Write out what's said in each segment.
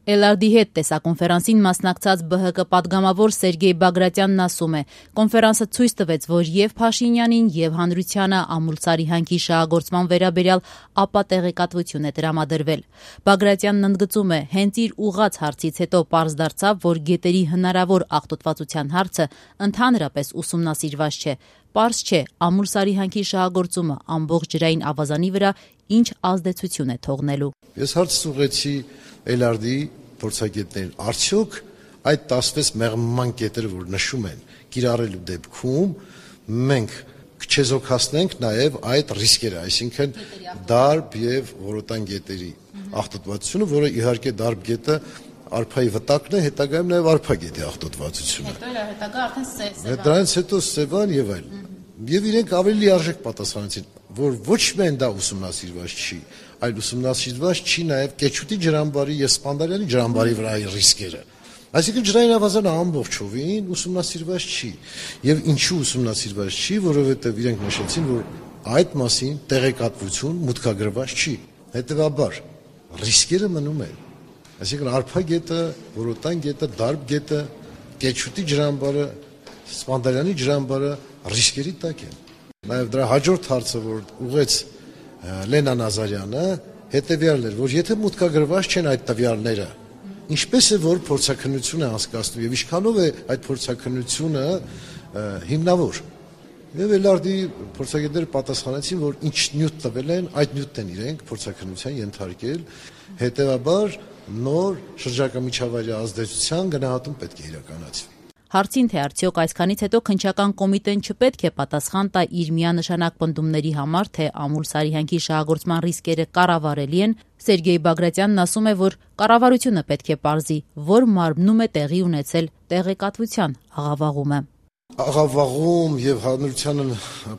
LRD հետ տեսակոնֆերանսին մասնակցած ԲՀԿ պատգամավոր Սերգեյ Բագրատյանն ասում է, կոնֆերանսը ցույց տվեց, որ եւ Փաշինյանին եւ հանրությանը ամուլսարի հանքի շահագործման վերաբերյալ ապատեղեկատվություն է տրամադրվել։ Բագրատյանն ընդգծում է, հենց իր ուղղած հարցից հետո պարզ դարձավ, որ գետերի հնարավոր աղտոտվածության հարցը ընդհանրապես ուսումնասիրված չէ։ Պարզ չէ, ամուլսարի հանքի շահագործումը ամբողջ ջրային ավազանի վրա ինչ ազդեցություն է թողնելու։ Ես հարց ուղղեցի LRD-ի փորձագետներին, արդյոք այդ 16 մեղմման կետերը, որ նշում են, կիրառելու դեպքում մենք կչեզոքացնենք նաև այդ ռիսկերը, այսինքն դարբ եւ որոտան գետերի աղտոտվածությունը, որը իհարկե դարբ գետը արփայի վտակն է, հետագայում նաև արփա գետի աղտոտվածությունը։ Հետագա արդեն սև։ Դրանից հետո Սևան եւ այլն։ Եվ իրենք ավելի լիարժեք պատասխանեցին, որ ոչ միայն դա ուսումնասիրված չի, այլ ուսումնասիրված չի նաև Կեչուտի ջրամբարի եւ Սպանդարյանի ջրամբարի վրայի ռիսկերը։ Այսինքն ջրային ավազանը ամբողջովին ուսումնասիրված չի։ Եվ ինչու ուսումնասիրված չի, որովհետեւ իրենք նշեցին, որ այդ մասին տեղեկատվություն մուտքագրված չի։ Հետևաբար ռիսկերը մնում են։ Այսինքն արփա գետը, որոտան գետը, դարբ գետը, Կեչուտի ջրամբարը, Սպանդարյանի ջրամբարը ռիսկերի տակ են։ Նաև դրա հաջորդ հարցը, որ ուղղեց Լենա Նազարյանը, հետևյալն էր, որ եթե մուտքագրված չեն այդ տվյալները, ինչպես է որ փորձաքննություն է անցկացնում եւ ինչքանով է այդ փորձաքննությունը հիմնավոր։ Եվ LRD-ի փորձագետները պատասխանեցին, որ ինչ նյութ տվել են, այդ նյութն են իրենք փորձաքննության ենթարկել, հետեւաբար նոր շրջակա միջավայրի ազդեցության գնահատում պետք է իրականացվի։ Հարցին, թե արդյոք այսքանից հետո քննչական կոմիտեն չպետք է պատասխան տա իր միանշանակ պնդումների համար, թե ամուլսարի հանքի շահագործման ռիսկերը կառավարելի են, Սերգեյ Բագրատյանն ասում է, որ կառավարությունը պետք է պարզի, որ մարմնում է տեղի ունեցել տեղեկատվության աղավաղումը։ Աղավաղում եւ հանրությանը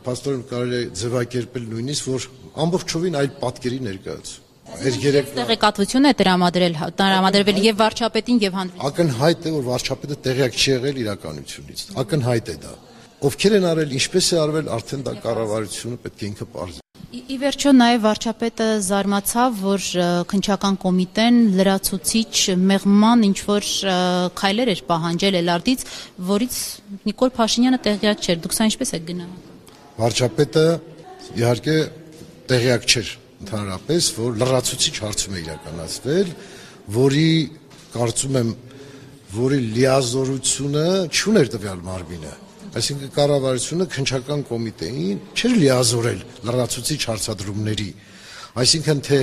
փաստորեն կարելի է ձևակերպել նույնիսկ, որ ամբողջովին այլ պատկերի ներկայացում։ Տեղեկատվություն է տրամադրվել եւ վարչապետին եւ հանրությանը։ Ակնհայտ է, որ վարչապետը տեղյակ չի եղել իրականությունից։ Ակնհայտ է դա։ Ովքեր են արել, ինչպես է արվել, արդեն դա կառավարությունը պետք է ինքը պարզի։ Ի վերջո նաև վարչապետը զարմացավ, որ քննչական կոմիտեն լրացուցիչ մեղման ինչ-որ քայլեր էր պահանջել LRD-ից, որից Նիկոլ Փաշինյանը տեղյակ չէր։ Դուք սա ինչպես եք գնահատում։ Վարչապետը իհարկե տեղյակ չէր ընդհանրապես, որ լրացուցիչ հարցում է իրականացվել, որի կարծում եմ, որի լիազորությունը չուներ տվյալ մարմինը։ Այսինքն կառավարությունը քննչական կոմիտեին չէր լիազորել լրացուցիչ հարցադրումների, այսինքն թե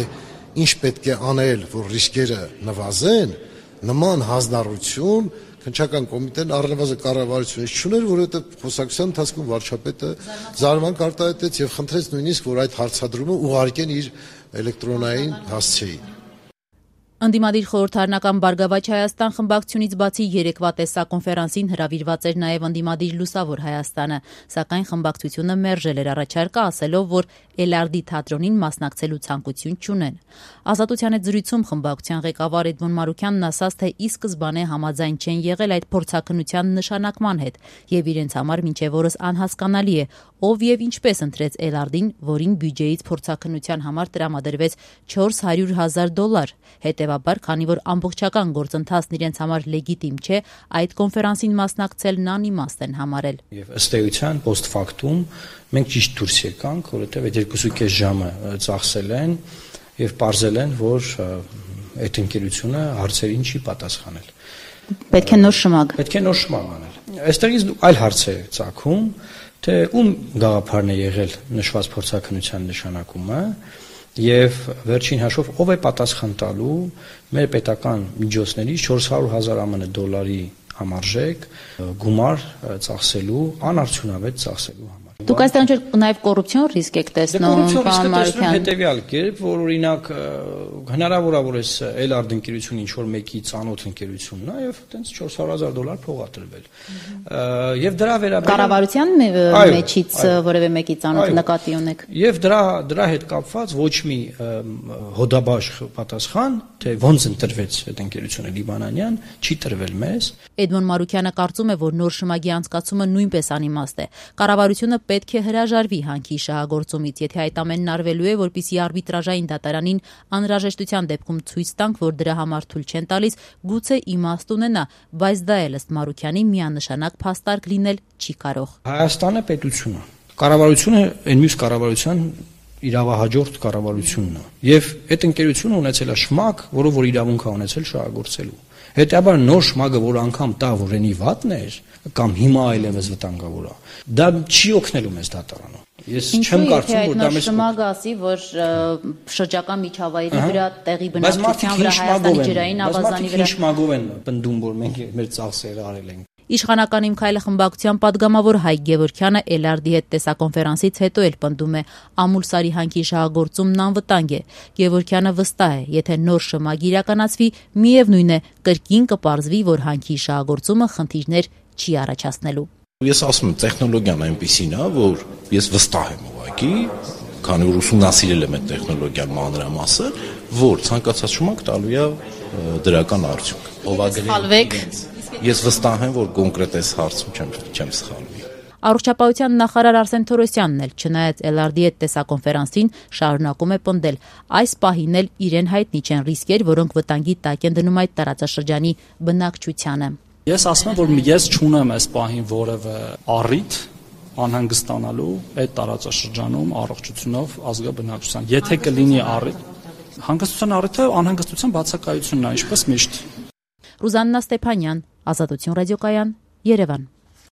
ինչ պետք է անել, որ ռիսկերը նվազեն, նման հանձնառություն քննչական կոմիտեն առնվազն կառավարությունից չուներ, որովհետև խոսակցության ընթացքում վարչապետը զարմանք արտահայտեց եւ խնդրեց նույնիսկ, որ այդ հարցադրումը ուղարկեն իր էլեկտրոնային հասցեին։ Ընդդիմադիր խորհրդարանական Բարգավաճ Հայաստան խմբակցությունից բացի երեկվա տեսակոնֆերանսին հրավիրված էր նաև ընդդիմադիր Լուսավոր Հայաստանը, սակայն խմբակցությունը մերժել էր առաջարկը, ասելով, որ LRD թատրոնին մասնակցելու ցանկություն չունեն։ Ազատության հետ զրույցում խմբակցության ղեկավար Էդմոն Մարուքյանն ասաց, թե ի սկզբանե համաձայն չեն եղել այդ փորձաքննության նշանակման հետ, եւ իրենց համար մինչեւ օրս անհասկանալի է, ով եւ ինչպես ընտրեց LRD-ին, որին բյուջեից փորձաքննության համար տրամադրվեց $400,000։ Հետևաբար, քանի որ ամբողջական գործընթացն իրենց համար լեգիտիմ չէ, այդ կոնֆերանսին մասնակցելն անիմաստ են համարել։ Եվ ըստ էության post factum մենք ճիշտ դուրս եկանք, որովհետև այդ 2.5 ժամը ծախսել են եւ պարզել են, որ այդ ընկերությունը հարցերին չի պատասխանել։ Պետք է նոր շմագ։ Պետք է նոր շմագ անել։ Այստեղից այլ հարց է ծագում, թե ում գաղափարն է եղել նշված փորձաքննության նշանակումը եւ վերջին հաշվով ով է պատասխան տալու մեր պետական միջոցներից $400,000 դոլարի համարժեք գումար ծախսելու, անարդյունավետ ծախսելու համար։ Դուք այստեղ նաև կոռուպցիոն ռիսկ եք տեսնում, պարոն Մարուքյան։ Հետևյալ կերպ, որ օրինակ հնարավոր է, որ այս LRD ընկերությունը ինչ որ մեկի ծանոթ ընկերությունն է եւ այտենց $400,000 փող ա տրվել։ Եւ դրա վերաբերյալ կառավարության մեջից որևէ մեկի ծանոթ նկատի ունեք։ Եվ դրա հետ կապված ոչ մի հոդաբաշխ պատասխան, թե ոնց ընտրվեց այդ ընկերությունը լիբանանյան, չի տրվել մեզ։ Էդմոն Մարուքյանը կարծում է, որ նոր շմագի անցկացումը նույնպես անիմաստ է։ Կառավարությունը պետք է հրաժարվի հանքի շահագործումից, եթե այդ ամենն արվելու է, որպեսզի արբիտրաժային դատարանին անհրաժեշտության դեպքում ցույց տանք, որ դրա համար թույլ չեն տալիս, գուցե իմաստ ունենա, բայց դա էլ ըստ Մարուքյանի միանշանակ փաստարկ լինել չի կարող։ Հայաստանը պետությունը, կառավարությունը այն մյուս կառավարության իրավահաջորդ կառավարությունն է, եւ այդ ընկերությունը ունեցել է շմակ, որը որ իրավունք է ունեցել շահագործելու։ Հետեւաբար նոր շմագը, որ անգամ տա, որ այնի վատն էր, կամ հիմա այլևս վտանգավոր է, դա չի օգնելու մեզ դատարանը։ Ես չեմ կարծում, որ դա մեզ շմագը ասի, որ շրջակա միջավայրի վրա տեղի բնակչության վրա Հայաստանի ջրային ավազանի վրա շմագով են պնդում, որ մենք մեր ծախսերը արել ենք։ Իշխանական Իմ քայլը խմբակցության падգամավոր Հայկ Գևորգյանը Էլարդի հետ տեսակոնֆերանսից հետո էլ պնդում է Ամուլսարի հանքի շահագործումն անվտանգ է։ Գևորգյանը վստահ է, եթե նոր շմագ իրականացվի, միևնույն է, կրկին կպարզվի, որ հանքի շահագործումը խնդիրներ չի առաջացնելու։ Ես ասում եմ, տեխնոլոգիան այնպիսին է, որ ես վստահ եմ ուղղակի, քանի որ ուսումնասիրել եմ այդ տեխնոլոգիան մանրամասը, որ ցանկացած շմակ տալու է դրական արդյունք։ Ես վստահ եմ, որ կոնկրետ այս հարցում չեմ սխալվի։ Առողջապահության նախարար Արսեն Թորոսյանն էլ, չնայած Էլարդի հետ տեսակոնֆերանսին, շարունակում է պնդել, այս պահին էլ իրեն հայտնի չեն ռիսկեր, որոնք վտանգի տակ են դնում այդ տարածաշրջանի բնակչությանը։ Ես ասում եմ, որ ես չունեմ այս պահին որևէ առիթ անհանգստանալու այդ տարածաշրջանում առողջությունով ազգա բնակչության։ Եթե կլինի առիթ, հանգստության առիթը անհանգստության բացակայությունն է, ինչպես միշտ։ Ռուզաննա Ստեփանյան, Ազատություն ռադիոկայան, Երևան։